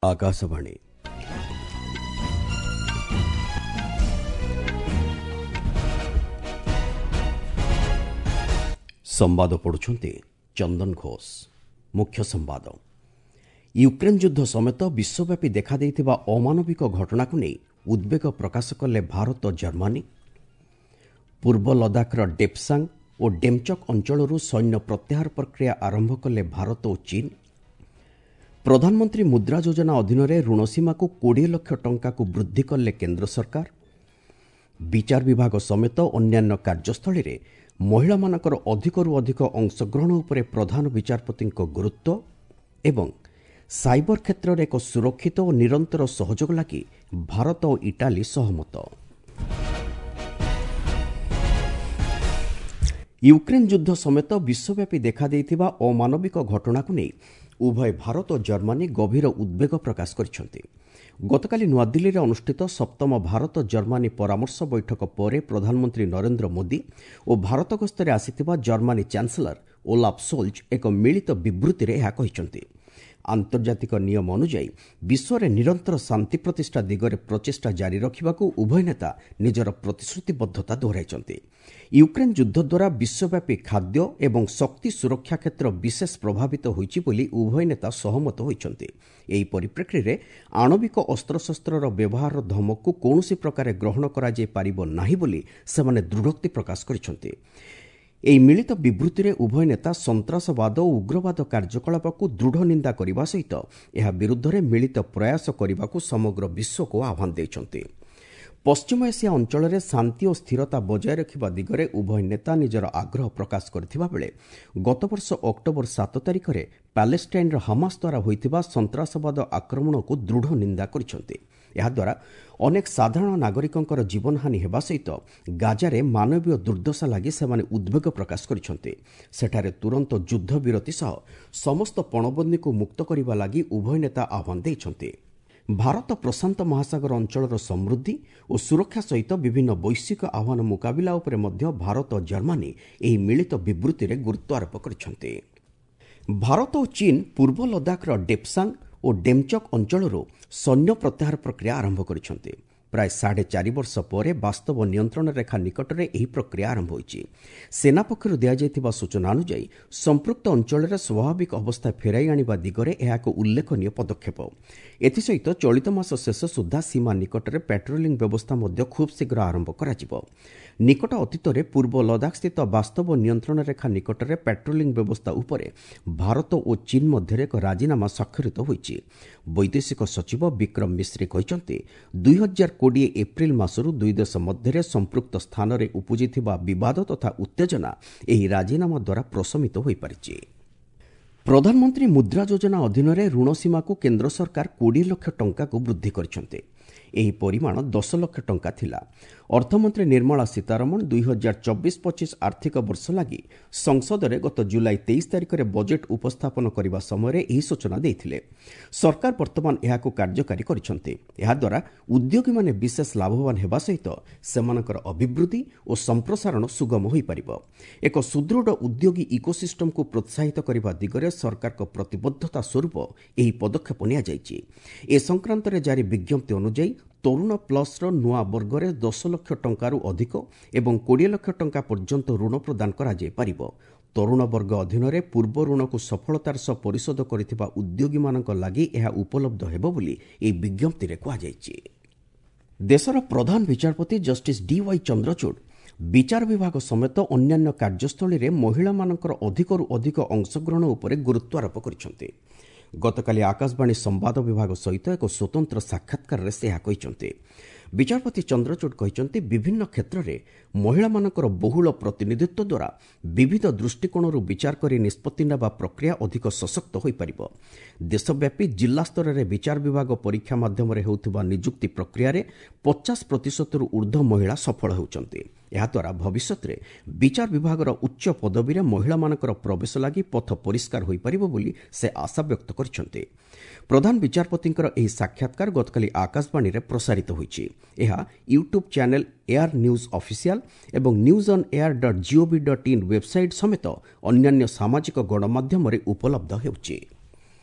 ଆକାଶବାଣୀ। ସମ୍ବାଦ ପଢ଼ୁଛନ୍ତି ଚନ୍ଦନ ଘୋଷ। ମୁଖ୍ୟ ସମ୍ବାଦ। ୟୁକ୍ରେନ୍ ଯୁଦ୍ଧ ସମେତ ବିଶ୍ୱବ୍ୟାପୀ ଦେଖାଦେଇଥିବା ଅମାନବିକ ଘଟଣାକୁ ନେଇ ଉଦ୍ବେଗ ପ୍ରକାଶ କଲେ ଭାରତ, ଜର୍ମାନୀ। ପୂର୍ବ ଲଦାଖର ଡେପ୍ସାଙ୍ଗ ଓ ଡେମ୍ଚକ୍ ଅଞ୍ଚଳରୁ ସୈନ୍ୟ ପ୍ରତ୍ୟାହାର ପ୍ରକ୍ରିୟା ଆରମ୍ଭ କଲେ ଭାରତ ଓ ଚୀନ୍। ପ୍ରଧାନମନ୍ତ୍ରୀ ମୁଦ୍ରା ଯୋଜନା ଅଧୀନରେ ଋଣ ସୀମାକୁ 20 ଲକ୍ଷ ଟଙ୍କାକୁ ବୃଦ୍ଧି କଲେ କେନ୍ଦ୍ର ସରକାର। ବିଚାର ବିଭାଗ ସମେତ ଅନ୍ୟାନ୍ୟ କାର୍ଯ୍ୟସ୍ଥଳୀରେ ମହିଳାମାନଙ୍କର ଅଧିକରୁ ଅଧିକ ଅଂଶଗ୍ରହଣ ଉପରେ ପ୍ରଧାନ ବିଚାରପତିଙ୍କ ଗୁରୁତ୍ୱ ଏବଂ ସାଇବର କ୍ଷେତ୍ରରେ ଏକ ସୁରକ୍ଷିତ ଓ ନିରନ୍ତର ସହଯୋଗ ଲାଗି ଭାରତ ଓ ଇଟାଲୀ ସହମତ। ୟୁକ୍ରେନ୍ ଯୁଦ୍ଧ ସମେତ ବିଶ୍ୱବ୍ୟାପୀ ଦେଖାଦେଇଥିବା ଅମାନବିକ ଘଟଣାକୁ ନେଇ ଉଭୟ ଭାରତ ଓ ଜର୍ମାନୀ ଗଭୀର ଉଦ୍ବେଗ ପ୍ରକାଶ କରିଛନ୍ତି। ଗତକାଲି ନୂଆଦିଲ୍ଲୀରେ ଅନୁଷ୍ଠିତ ସପ୍ତମ ଭାରତ ଜର୍ମାନୀ ପରାମର୍ଶ ବୈଠକ ପରେ ପ୍ରଧାନମନ୍ତ୍ରୀ ନରେନ୍ଦ୍ର ମୋଦି ଓ ଭାରତ ଗସ୍ତରେ ଆସିଥିବା ଜର୍ମାନୀ ଚାନ୍ସେଲର ଓଲାଫ୍ ସୋଲ୍ଜ ଏକ ମିଳିତ ବିବୃତ୍ତିରେ ଏହା କହିଛନ୍ତି। ଆନ୍ତର୍ଜାତିକ ନିୟମ ଅନୁଯାୟୀ ବିଶ୍ୱରେ ନିରନ୍ତର ଶାନ୍ତି ପ୍ରତିଷ୍ଠା ଦିଗରେ ପ୍ରଚେଷ୍ଟା ଜାରି ରଖିବାକୁ ଉଭୟ ନେତା ନିଜର ପ୍ରତିଶ୍ରୁତିବଦ୍ଧତା ଦୋହରାଇଛନ୍ତି। ୟୁକ୍ରେନ୍ ଯୁଦ୍ଧ ଦ୍ୱାରା ବିଶ୍ୱବ୍ୟାପୀ ଖାଦ୍ୟ ଏବଂ ଶକ୍ତି ସୁରକ୍ଷା କ୍ଷେତ୍ର ବିଶେଷ ପ୍ରଭାବିତ ହୋଇଛି ବୋଲି ଉଭୟ ନେତା ସହମତ ହୋଇଛନ୍ତି। ଏହି ପରିପ୍ରେକ୍ଷୀରେ ଆଣବିକ ଅସ୍ତ୍ରଶସ୍ତ୍ରର ବ୍ୟବହାରର ଧମକକୁ କୌଣସି ପ୍ରକାରେ ଗ୍ରହଣ କରାଯାଇପାରିବ ନାହିଁ ବୋଲି ସେମାନେ ଦୃଢ଼ୋକ୍ତି ପ୍ରକାଶ କରିଛନ୍ତି। ଏହି ମିଳିତ ବିବୃତ୍ତିରେ ଉଭୟ ନେତା ସନ୍ତାସବାଦ ଓ ଉଗ୍ରବାଦ କାର୍ଯ୍ୟକଳାପକୁ ଦୃଢ଼ ନିନ୍ଦା କରିବା ସହିତ ଏହା ବିରୁଦ୍ଧରେ ମିଳିତ ପ୍ରୟାସ କରିବାକୁ ସମଗ୍ର ବିଶ୍ୱକୁ ଆହ୍ୱାନ ଦେଇଛନ୍ତି। ପଶ୍ଚିମ ଏସିଆ ଅଞ୍ଚଳରେ ଶାନ୍ତି ଓ ସ୍ଥିରତା ବଜାୟ ରଖିବା ଦିଗରେ ଉଭୟ ନେତା ନିଜର ଆଗ୍ରହ ପ୍ରକାଶ କରିଥିବା ବେଳେ ଗତବର୍ଷ ଅକ୍ଟୋବର 7 ତାରିଖରେ ପାଲେଷ୍ଟାଇନ୍ର ହାମାସ ଦ୍ୱାରା ହୋଇଥିବା ସନ୍ତାସବାଦ ଆକ୍ରମଣକୁ ଦୃଢ଼ ନିନ୍ଦା କରିଛନ୍ତି। ଏହାଦ୍ୱାରା ଅନେକ ସାଧାରଣ ନାଗରିକଙ୍କର ଜୀବନହାନି ହେବା ସହିତ ଗାଜାରେ ମାନବୀୟ ଦୁର୍ଦ୍ଦଶା ଲାଗି ସେମାନେ ଉଦ୍ବେଗ ପ୍ରକାଶ କରିଛନ୍ତି। ସେଠାରେ ତୁରନ୍ତ ଯୁଦ୍ଧବିରତି ସହ ସମସ୍ତ ପଣବନ୍ଦୀଙ୍କୁ ମୁକ୍ତ କରିବା ଲାଗି ଉଭୟ ନେତା ଆହ୍ୱାନ ଦେଇଛନ୍ତି। ଭାରତ ପ୍ରଶାନ୍ତ ମହାସାଗର ଅଞ୍ଚଳର ସମୃଦ୍ଧି ଓ ସୁରକ୍ଷା ସହିତ ବିଭିନ୍ନ ବୈଶ୍ୱିକ ଆହ୍ୱାନ ମୁକାବିଲା ଉପରେ ମଧ୍ୟ ଭାରତ ଓ ଜର୍ମାନୀ ଏହି ମିଳିତ ବିବୃତ୍ତିରେ ଗୁରୁତ୍ୱ ଆରୋପ କରିଛନ୍ତି। ଭାରତ ଓ ଚୀନ୍ ପୂର୍ବ ଲଦାଖର ଡେପ୍ସାଙ୍ଗ ଓ ଡେମ୍ଚକ୍ ଅଞ୍ଚଳରୁ ସୈନ୍ୟ ପ୍ରତ୍ୟାହାର ପ୍ରକ୍ରିୟା ଆରମ୍ଭ କରିଛନ୍ତି। ପ୍ରାୟ 4.5 ବର୍ଷ ପରେ ବାସ୍ତବ ନିୟନ୍ତ୍ରଣ ରେଖା ନିକଟରେ ଏହି ପ୍ରକ୍ରିୟା ଆରମ୍ଭ ହୋଇଛି। ସେନା ପକ୍ଷରୁ ଦିଆଯାଇଥିବା ସୂଚନା ଅନୁଯାୟୀ ସମ୍ପୃକ୍ତ ଅଞ୍ଚଳରେ ସ୍ୱାଭାବିକ ଅବସ୍ଥା ଫେରାଇ ଆଣିବା ଦିଗରେ ଏହା ଏକ ଉଲ୍ଲେଖନୀୟ ପଦକ୍ଷେପ। ଏଥିସହିତ ଚଳିତ ମାସ ଶେଷ ସୁଦ୍ଧା ସୀମା ନିକଟରେ ପାଟ୍ରୋଲିଂ ବ୍ୟବସ୍ଥା ମଧ୍ୟ ଖୁବ୍ ଶୀଘ୍ର ଆରମ୍ଭ କରାଯିବ। ନିକଟ ଅତୀତରେ ପୂର୍ବ ଲଦାଖସ୍ଥିତ ବାସ୍ତବ ନିୟନ୍ତ୍ରଣ ରେଖା ନିକଟରେ ପାଟ୍ରୋଲିଂ ବ୍ୟବସ୍ଥା ଉପରେ ଭାରତ ଓ ଚୀନ୍ ମଧ୍ୟରେ ଏକ ରାଜିନାମା ସ୍ୱାକ୍ଷରିତ ହୋଇଛି। ବୈଦେଶିକ ସଚିବ ବିକ୍ରମ ମିଶ୍ରି କହିଛନ୍ତି, 2020 ଏପ୍ରିଲ ମାସରୁ ଦୁଇ ଦେଶ ମଧ୍ୟରେ ସମ୍ପୃକ୍ତ ସ୍ଥାନରେ ଉପୁଜିଥିବା ବିବାଦ ତଥା ଉତ୍ତେଜନା ଏହି ରାଜିନାମା ଦ୍ୱାରା ପ୍ରଶମିତ ହୋଇପାରିଛି। ପ୍ରଧାନମନ୍ତ୍ରୀ ମୁଦ୍ରା ଯୋଜନା ଅଧୀନରେ ଋଣ ସୀମାକୁ କେନ୍ଦ୍ର ସରକାର 20 ଲକ୍ଷ ଟଙ୍କାକୁ ବୃଦ୍ଧି କରିଛନ୍ତି। ଏହି ପରିମାଣ 10 ଲକ୍ଷ ଟଙ୍କା ଥିଲା। ଅର୍ଥମନ୍ତ୍ରୀ ନିର୍ମଳା ସୀତାରମଣ 2024-25 ଆର୍ଥିକ ବର୍ଷ ଲାଗି ସଂସଦରେ ଗତ ଜୁଲାଇ 23 ତାରିଖରେ ବଜେଟ୍ ଉପସ୍ଥାପନ କରିବା ସମୟରେ ଏହି ସୂଚନା ଦେଇଥିଲେ। ସରକାର ବର୍ତ୍ତମାନ ଏହାକୁ କାର୍ଯ୍ୟକାରୀ କରିଛନ୍ତି। ଏହାଦ୍ୱାରା ଉଦ୍ୟୋଗୀମାନେ ବିଶେଷ ଲାଭବାନ ହେବା ସହିତ ସେମାନଙ୍କର ଅଭିବୃଦ୍ଧି ଓ ସମ୍ପ୍ରସାରଣ ସୁଗମ ହୋଇପାରିବ। ଏକ ସୁଦୃଢ଼ ଉଦ୍ୟୋଗୀ ଇକୋସିଷ୍ଟମକୁ ପ୍ରୋତ୍ସାହିତ କରିବା ଦିଗରେ ସରକାରଙ୍କ ପ୍ରତିବଦ୍ଧତା ସ୍ୱରୂପ ଏହି ପଦକ୍ଷେପ ନିଆଯାଇଛି। ଏ ସଂକ୍ରାନ୍ତରେ ଜାରି ବିଜ୍ଞପ୍ତି ଅନୁଯାୟୀ ତରୁଣ ପ୍ଲସ୍ର ନୂଆ ବର୍ଗରେ 10 ଲକ୍ଷ ଟଙ୍କାରୁ ଅଧିକ ଏବଂ 20 ଲକ୍ଷ ଟଙ୍କା ପର୍ଯ୍ୟନ୍ତ ଋଣ ପ୍ରଦାନ କରାଯାଇପାରିବ। ତରୁଣ ବର୍ଗ ଅଧୀନରେ ପୂର୍ବ ଋଣକୁ ସଫଳତାର ସହ ପରିଶୋଧ କରିଥିବା ଉଦ୍ୟୋଗୀମାନଙ୍କ ଲାଗି ଏହା ଉପଲବ୍ଧ ହେବ ବୋଲି ଏହି ବିଜ୍ଞପ୍ତିରେ କୁହାଯାଇଛି। ଦେଶର ପ୍ରଧାନ ବିଚାରପତି ଜଷ୍ଟିସ୍ ଡିୱାଇ ଚନ୍ଦ୍ରଚୂଡ଼ ବିଚାର ବିଭାଗ ସମେତ ଅନ୍ୟାନ୍ୟ କାର୍ଯ୍ୟସ୍ଥଳୀରେ ମହିଳାମାନଙ୍କର ଅଧିକରୁ ଅଧିକ ଅଂଶଗ୍ରହଣ ଉପରେ ଗୁରୁତ୍ୱ ଆରୋପ କରିଛନ୍ତି। ଗତକାଲି ଆକାଶବାଣୀ ସମ୍ବାଦ ବିଭାଗ ସହିତ ଏକ ସ୍ୱତନ୍ତ୍ର ସାକ୍ଷାତକାରରେ ସେ ଏହା କହିଛନ୍ତି। ବିଚାରପତି ଚନ୍ଦ୍ରଚୂଡ଼ କହିଛନ୍ତି, ବିଭିନ୍ନ କ୍ଷେତ୍ରରେ ମହିଳାମାନଙ୍କର ବହୁଳ ପ୍ରତିନିଧିତ୍ୱ ଦ୍ୱାରା ବିବିଧ ଦୃଷ୍ଟିକୋଣରୁ ବିଚାର କରି ନିଷ୍ପତ୍ତି ନେବା ପ୍ରକ୍ରିୟା ଅଧିକ ସଶକ୍ତ ହୋଇପାରିବ। ଦେଶବ୍ୟାପୀ ଜିଲ୍ଲାସ୍ତରରେ ବିଚାର ବିଭାଗ ପରୀକ୍ଷା ମାଧ୍ୟମରେ ହେଉଥିବା ନିଯୁକ୍ତି ପ୍ରକ୍ରିୟାରେ 50%ରୁ ଉର୍ଦ୍ଧ୍ୱ ମହିଳା ସଫଳ ହେଉଛନ୍ତି। ଏହାଦ୍ୱାରା ଭବିଷ୍ୟତରେ ବିଚାର ବିଭାଗର ଉଚ୍ଚ ପଦବୀରେ ମହିଳାମାନଙ୍କର ପ୍ରବେଶ ଲାଗି ପଥ ପରିଷ୍କାର ହୋଇପାରିବ ବୋଲି ସେ ଆଶା ବ୍ୟକ୍ତ କରିଛନ୍ତି। ପ୍ରଧାନ ବିଚାରପତିଙ୍କର ଏହି ସାକ୍ଷାତକାର ଗତକାଲି ଆକାଶବାଣୀରେ ପ୍ରସାରିତ ହୋଇଛି। ଏହା YouTube channel AIR news official ଏବଂ news on air dot gov dot in website ସମେତ ଅନ୍ୟାନ୍ୟ ସାମାଜିକ ଗଣମାଧ୍ୟମରେ ଉପଲବ୍ଧ ହେଉଛି।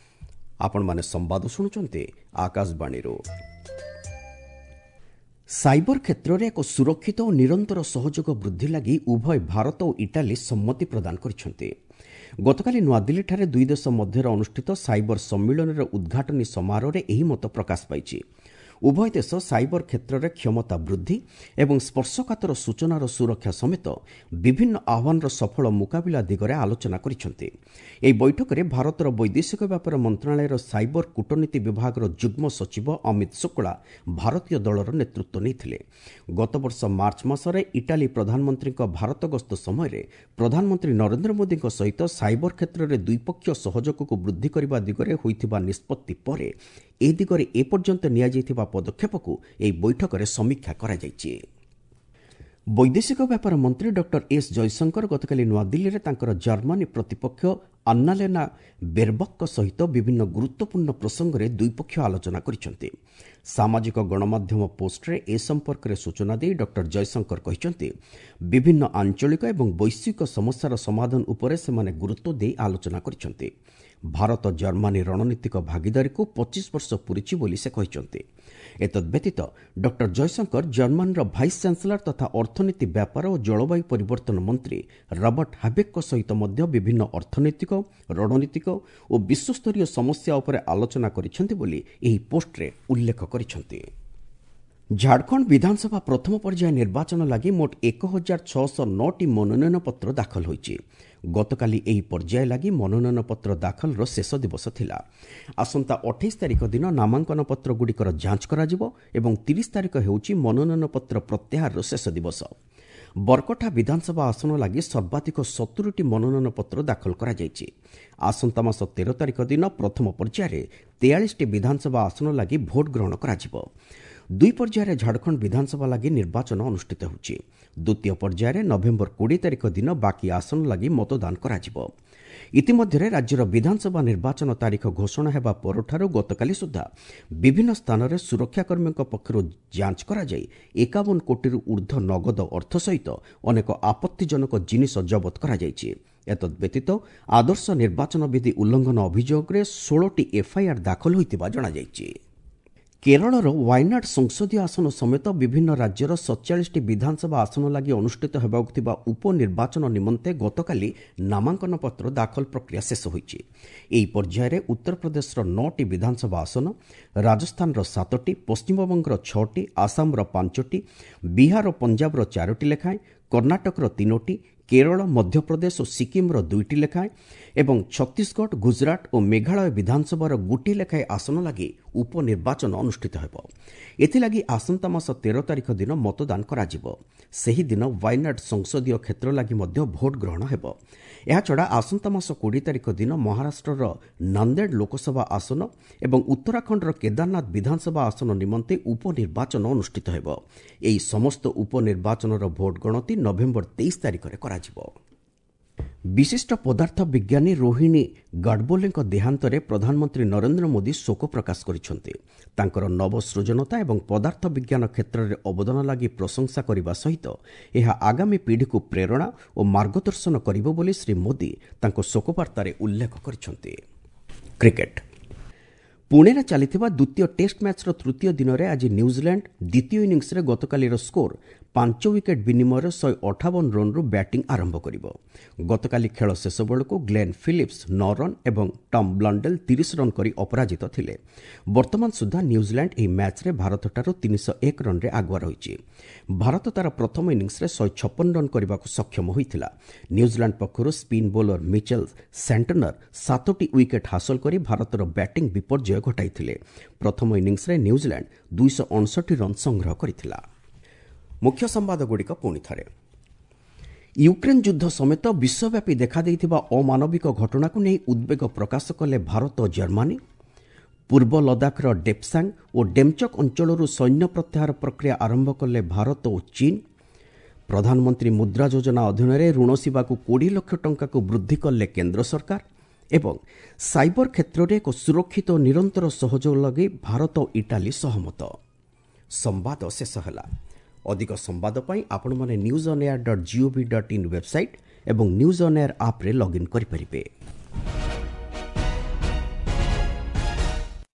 ଆପଣମାନେ ସମ୍ବାଦ ଶୁଣୁଛନ୍ତି ଆକାଶବାଣୀରୁ। ସାଇବର କ୍ଷେତ୍ରରେ ଏକ ସୁରକ୍ଷିତ ଓ ନିରନ୍ତର ସହଯୋଗ ବୃଦ୍ଧି ଲାଗି ଉଭୟ ଭାରତ ଓ ଇଟାଲୀ ସମ୍ମତି ପ୍ରଦାନ କରିଛନ୍ତି। ଗତକାଲି ନୂଆଦିଲ୍ଲୀଠାରେ ଦୁଇ ଦେଶ ମଧ୍ୟରେ ଅନୁଷ୍ଠିତ ସାଇବର ସମ୍ମିଳନୀର ଉଦ୍ଘାଟନୀ ସମାରୋହରେ ଏହି ମତ ପ୍ରକାଶ ପାଇଛି। ଉଭୟ ଦେଶ ସାଇବର କ୍ଷେତ୍ରରେ କ୍ଷମତା ବୃଦ୍ଧି ଏବଂ ସ୍ପର୍ଶକାତର ସୂଚନାର ସୁରକ୍ଷା ସମେତ ବିଭିନ୍ନ ଆହ୍ୱାନର ସଫଳ ମୁକାବିଲା ଦିଗରେ ଆଲୋଚନା କରିଛନ୍ତି। ଏହି ବୈଠକରେ ଭାରତର ବୈଦେଶିକ ବ୍ୟାପାର ମନ୍ତ୍ରଣାଳୟର ସାଇବର କୂଟନୀତି ବିଭାଗର ଯୁଗ୍ମ ସଚିବ ଅମିତ ଶୁକ୍ଳା ଭାରତୀୟ ଦଳର ନେତୃତ୍ୱ ନେଇଥିଲେ। ଗତବର୍ଷ ମାର୍ଚ୍ଚ ମାସରେ ଇଟାଲୀ ପ୍ରଧାନମନ୍ତ୍ରୀଙ୍କ ଭାରତ ଗସ୍ତ ସମୟରେ ପ୍ରଧାନମନ୍ତ୍ରୀ ନରେନ୍ଦ୍ର ମୋଦିଙ୍କ ସହିତ ସାଇବର କ୍ଷେତ୍ରରେ ଦ୍ୱିପକ୍ଷୀୟ ସହଯୋଗକୁ ବୃଦ୍ଧି କରିବା ଦିଗରେ ହୋଇଥିବା ନିଷ୍ପତ୍ତି ପରେ ଏ ଦିଗରେ ଏପର୍ଯ୍ୟନ୍ତ ନିଆଯାଇଥିବା ପଦକ୍ଷେପକୁ ଏହି ବୈଠକରେ ସମୀକ୍ଷା କରାଯାଇଛି। ବୈଦେଶିକ ବ୍ୟାପାର ମନ୍ତ୍ରୀ ଡକ୍ଟର ଏସ୍ ଜୟଶଙ୍କର ଗତକାଲି ନୂଆଦିଲ୍ଲୀରେ ତାଙ୍କର ଜର୍ମାନୀ ପ୍ରତିପକ୍ଷ ଆନ୍ନାଲେନା ବେର୍ବକ୍ଙ୍କ ସହିତ ବିଭିନ୍ନ ଗୁରୁତ୍ୱପୂର୍ଣ୍ଣ ପ୍ରସଙ୍ଗରେ ଦ୍ୱିପକ୍ଷୀୟ ଆଲୋଚନା କରିଛନ୍ତି। ସାମାଜିକ ଗଣମାଧ୍ୟମ ପୋଷ୍ଟରେ ଏ ସମ୍ପର୍କରେ ସୂଚନା ଦେଇ ଡକ୍ଟର ଜୟଶଙ୍କର କହିଛନ୍ତି, ବିଭିନ୍ନ ଆଞ୍ଚଳିକ ଏବଂ ବୈଶ୍ୱିକ ସମସ୍ୟାର ସମାଧାନ ଉପରେ ସେମାନେ ଗୁରୁତ୍ୱ ଦେଇ ଆଲୋଚନା କରିଛନ୍ତି। ଭାରତ ଜର୍ମାନୀ ରଣନୀତିକ ଭାଗିଦାରୀକୁ 25 ବର୍ଷ ପୂରିଛି ବୋଲି ସେ କହିଛନ୍ତି। ଏତଦ୍ବ୍ୟତୀତ ଡକ୍ଟର ଜୟଶଙ୍କର ଜର୍ମାନୀର ଭାଇସ୍ ଚାନ୍ସେଲର ତଥା ଅର୍ଥନୀତି ବ୍ୟାପାର ଓ ଜଳବାୟୁ ପରିବର୍ତ୍ତନ ମନ୍ତ୍ରୀ ରବର୍ଟ ହାବେକ୍ଙ୍କ ସହିତ ମଧ୍ୟ ବିଭିନ୍ନ ଅର୍ଥନୈତିକ, ରଣନୀତିକ ଓ ବିଶ୍ୱସ୍ତରୀୟ ସମସ୍ୟା ଉପରେ ଆଲୋଚନା କରିଛନ୍ତି ବୋଲି ଏହି ପୋଷ୍ଟରେ ଉଲ୍ଲେଖ କରିଛନ୍ତି। ଝାଡ଼ଖଣ୍ଡ ବିଧାନସଭା ପ୍ରଥମ ପର୍ଯ୍ୟାୟ ନିର୍ବାଚନ ଲାଗି ମୋଟ 1609ଟି ମନୋନୟନପତ୍ର ଦାଖଲ ହୋଇଛି। ଗତକାଲି ଏହି ପର୍ଯ୍ୟାୟ ଲାଗି ମନୋନୟନପତ୍ର ଦାଖଲର ଶେଷ ଦିବସ ଥିଲା। ଆସନ୍ତା 28 ତାରିଖ ଦିନ ନାମାଙ୍କନପତ୍ରଗୁଡ଼ିକର ଯାଞ୍ଚ କରାଯିବ ଏବଂ 30 ତାରିଖ ହେଉଛି ମନୋନୟନପତ୍ର ପ୍ରତ୍ୟାହାରର ଶେଷ ଦିବସ। ବରକଠା ବିଧାନସଭା ଆସନ ଲାଗି ସର୍ବାଧିକ 70ଟି ମନୋନୟନପତ୍ର ଦାଖଲ କରାଯାଇଛି। ଆସନ୍ତା ମାସ 13 ତାରିଖ ଦିନ ପ୍ରଥମ ପର୍ଯ୍ୟାୟରେ 43ଟି ବିଧାନସଭା ଆସନ ଲାଗି ଭୋଟ ଗ୍ରହଣ କରାଯିବ। ଦୁଇ ପର୍ଯ୍ୟାୟରେ ଝାଡ଼ଖଣ୍ଡ ବିଧାନସଭା ଲାଗି ନିର୍ବାଚନ ଅନୁଷ୍ଠିତ ହେଉଛି। ଦ୍ୱିତୀୟ ପର୍ଯ୍ୟାୟରେ ନଭେମ୍ବର 20 ତାରିଖ ଦିନ ବାକି ଆସନ ଲାଗି ମତଦାନ କରାଯିବ। ଇତିମଧ୍ୟରେ ରାଜ୍ୟର ବିଧାନସଭା ନିର୍ବାଚନ ତାରିଖ ଘୋଷଣା ହେବା ପରଠାରୁ ଗତକାଲି ସୁଦ୍ଧା ବିଭିନ୍ନ ସ୍ଥାନରେ ସୁରକ୍ଷାକର୍ମୀଙ୍କ ପକ୍ଷରୁ ଯାଞ୍ଚ କରାଯାଇ 51 କୋଟିରୁ ଊର୍ଦ୍ଧ୍ୱ ନଗଦ ଅର୍ଥ ସହିତ ଅନେକ ଆପତ୍ତିଜନକ ଜିନିଷ ଜବତ କରାଯାଇଛି। ଏତଦ୍ବ୍ୟତୀତ ଆଦର୍ଶ ନିର୍ବାଚନ ବିଧି ଉଲ୍ଲଂଘନ ଅଭିଯୋଗରେ 16ଟି ଏଫ୍ଆଇଆର୍ ଦାଖଲ ହୋଇଥିବା ଜଣାଯାଇଛି। କେରଳର ୱାୟନାଡ୍ ସଂସଦୀୟ ଆସନ ସମେତ ବିଭିନ୍ନ ରାଜ୍ୟର 47ଟି ବିଧାନସଭା ଆସନ ଲାଗି ଅନୁଷ୍ଠିତ ହେବାକୁ ଥିବା ଉପନିର୍ବାଚନ ନିମନ୍ତେ ଗତକାଲି ନାମାଙ୍କନପତ୍ର ଦାଖଲ ପ୍ରକ୍ରିୟା ଶେଷ ହୋଇଛି। ଏହି ପର୍ଯ୍ୟାୟରେ ଉତ୍ତରପ୍ରଦେଶର 9ଟି ବିଧାନସଭା ଆସନ, ରାଜସ୍ଥାନର 7ଟି, ପଶ୍ଚିମବଙ୍ଗର 6ଟି, ଆସାମର 5ଟି, ବିହାର ଓ ପଞ୍ଜାବର 4ଟି ଲେଖାଏଁ, କର୍ଣ୍ଣାଟକର 3ଟି, କେରଳ, ମଧ୍ୟପ୍ରଦେଶ ଓ ସିକିମ୍ର 2ଟି ଲେଖାଏଁ ଏବଂ ଛତିଶଗଡ଼, ଗୁଜରାଟ ଓ ମେଘାଳୟ ବିଧାନସଭାର ଗୋଟିଏ ଲେଖାଏଁ ଆସନ ଲାଗି ଉପନିର୍ବାଚନ ଅନୁଷ୍ଠିତ ହେବ। ଏଥିଲାଗି ଆସନ୍ତା ମାସ 13 ତାରିଖ ଦିନ ମତଦାନ କରାଯିବ। ସେହିଦିନ ୱାୟନାଡ୍ ସଂସଦୀୟ କ୍ଷେତ୍ର ଲାଗି ମଧ୍ୟ ଭୋଟ ଗ୍ରହଣ ହେବ। ଏହାଛଡ଼ା ଆସନ୍ତା ମାସ 20 ତାରିଖ ଦିନ ମହାରାଷ୍ଟ୍ରର ନାନ୍ଦେଡ଼ ଲୋକସଭା ଆସନ ଏବଂ ଉତ୍ତରାଖଣ୍ଡର କେଦାରନାଥ ବିଧାନସଭା ଆସନ ନିମନ୍ତେ ଉପନିର୍ବାଚନ ଅନୁଷ୍ଠିତ ହେବ। ଏହି ସମସ୍ତ ଉପନିର୍ବାଚନର ଭୋଟ ଗଣତି ନଭେମ୍ବର 23 ତାରିଖରେ କରାଯିବ। ବିଶିଷ୍ଟ ପଦାର୍ଥ ବିଜ୍ଞାନୀ ରୋହିଣୀ ଗାଡ଼ବୋଲେଙ୍କ ଦେହାନ୍ତରେ ପ୍ରଧାନମନ୍ତ୍ରୀ ନରେନ୍ଦ୍ର ମୋଦି ଶୋକ ପ୍ରକାଶ କରିଛନ୍ତି। ତାଙ୍କର ନବସୃଜନତା ଏବଂ ପଦାର୍ଥ ବିଜ୍ଞାନ କ୍ଷେତ୍ରରେ ଅବଦାନ ଲାଗି ପ୍ରଶଂସା କରିବା ସହିତ ଏହା ଆଗାମୀ ପିଢ଼ିକୁ ପ୍ରେରଣା ଓ ମାର୍ଗଦର୍ଶନ କରିବ ବୋଲି ଶ୍ରୀ ମୋଦି ତାଙ୍କ ଶୋକବାର୍ତ୍ତାରେ ଉଲ୍ଲେଖ କରିଛନ୍ତି। କ୍ରିକେଟ୍, ପୁଣେରେ ଚାଲିଥିବା ଦ୍ୱିତୀୟ ଟେଷ୍ଟ ମ୍ୟାଚ୍ର ତୃତୀୟ ଦିନରେ ଆଜି ନ୍ୟୁଜିଲାଣ୍ଡ ଦ୍ୱିତୀୟ ଇନିଂସରେ ଗତକାଲିର ସ୍କୋର 5 ୱିକେଟ୍ ବିନିମୟରେ 158 ରନ୍ରୁ ବ୍ୟାଟିଂ ଆରମ୍ଭ କରିବ। ଗତକାଲି ଖେଳ ଶେଷ ବେଳକୁ ଗ୍ଲେନ୍ ଫିଲିପ୍ସ 9 ରନ୍ ଏବଂ ଟମ୍ ବ୍ଲଣ୍ଡେଲ୍ 30 ରନ୍ କରି ଅପରାଜିତ ଥିଲେ। ବର୍ତ୍ତମାନ ସୁଦ୍ଧା ନ୍ୟୁଜିଲାଣ୍ଡ ଏହି ମ୍ୟାଚ୍ରେ ଭାରତଠାରୁ 301 ରନ୍ରେ ଆଗୁଆ ରହିଛି। ଭାରତ ତା'ର ପ୍ରଥମ ଇନିଂସରେ 156 ରନ୍ କରିବାକୁ ସକ୍ଷମ ହୋଇଥିଲା। ନ୍ୟୁଜିଲାଣ୍ଡ ପକ୍ଷରୁ ସ୍ପିନ୍ ବୋଲର ମିଚେଲ୍ ସାଣ୍ଟନର 7ଟି ୱିକେଟ୍ ହାସଲ କରି ଭାରତର ବ୍ୟାଟିଂ ବିପର୍ଯ୍ୟୟ ଘଟାଇଥିଲେ। ପ୍ରଥମ ଇନିଂସରେ ନ୍ୟୁଜିଲାଣ୍ଡ 259 ରନ୍ ସଂଗ୍ରହ କରିଥିଲା। ମୁଖ୍ୟ ସମ୍ବାଦଗୁଡ଼ିକ ପୁଣି ଥରେ। ୟୁକ୍ରେନ୍ ଯୁଦ୍ଧ ସମେତ ବିଶ୍ୱବ୍ୟାପୀ ଦେଖାଦେଇଥିବା ଅମାନବିକ ଘଟଣାକୁ ନେଇ ଉଦ୍ବେଗ ପ୍ରକାଶ କଲେ ଭାରତ ଓ ଜର୍ମାନୀ। ପୂର୍ବ ଲଦାଖର ଡେପ୍ସାଙ୍ଗ ଓ ଡେମ୍ଚକ୍ ଅଞ୍ଚଳରୁ ସୈନ୍ୟ ପ୍ରତ୍ୟାହାର ପ୍ରକ୍ରିୟା ଆରମ୍ଭ କଲେ ଭାରତ ଓ ଚୀନ୍। ପ୍ରଧାନମନ୍ତ୍ରୀ ମୁଦ୍ରା ଯୋଜନା ଅଧୀନରେ ଋଣ ସେବାକୁ 20 ଲକ୍ଷ ଟଙ୍କାକୁ ବୃଦ୍ଧି କଲେ କେନ୍ଦ୍ର ସରକାର। ଏବଂ ସାଇବର କ୍ଷେତ୍ରରେ ଏକ ସୁରକ୍ଷିତ ଓ ନିରନ୍ତର ସହଯୋଗ ଲାଗି ଭାରତ ଓ ଇଟାଲୀ ସହମତ। ସମ୍ବାଦ ଶେଷ ହେଲା। ଅଧିକ ସମ୍ବାଦ ପାଇଁ ଆପଣମାନେ newsonair.gov.in website ଏବଂ ନ୍ୟୁଜ୍ ଅନ୍ ଏୟାର ଆପ୍ରେ ଲଗ୍ଇନ୍ କରିପାରିବେ।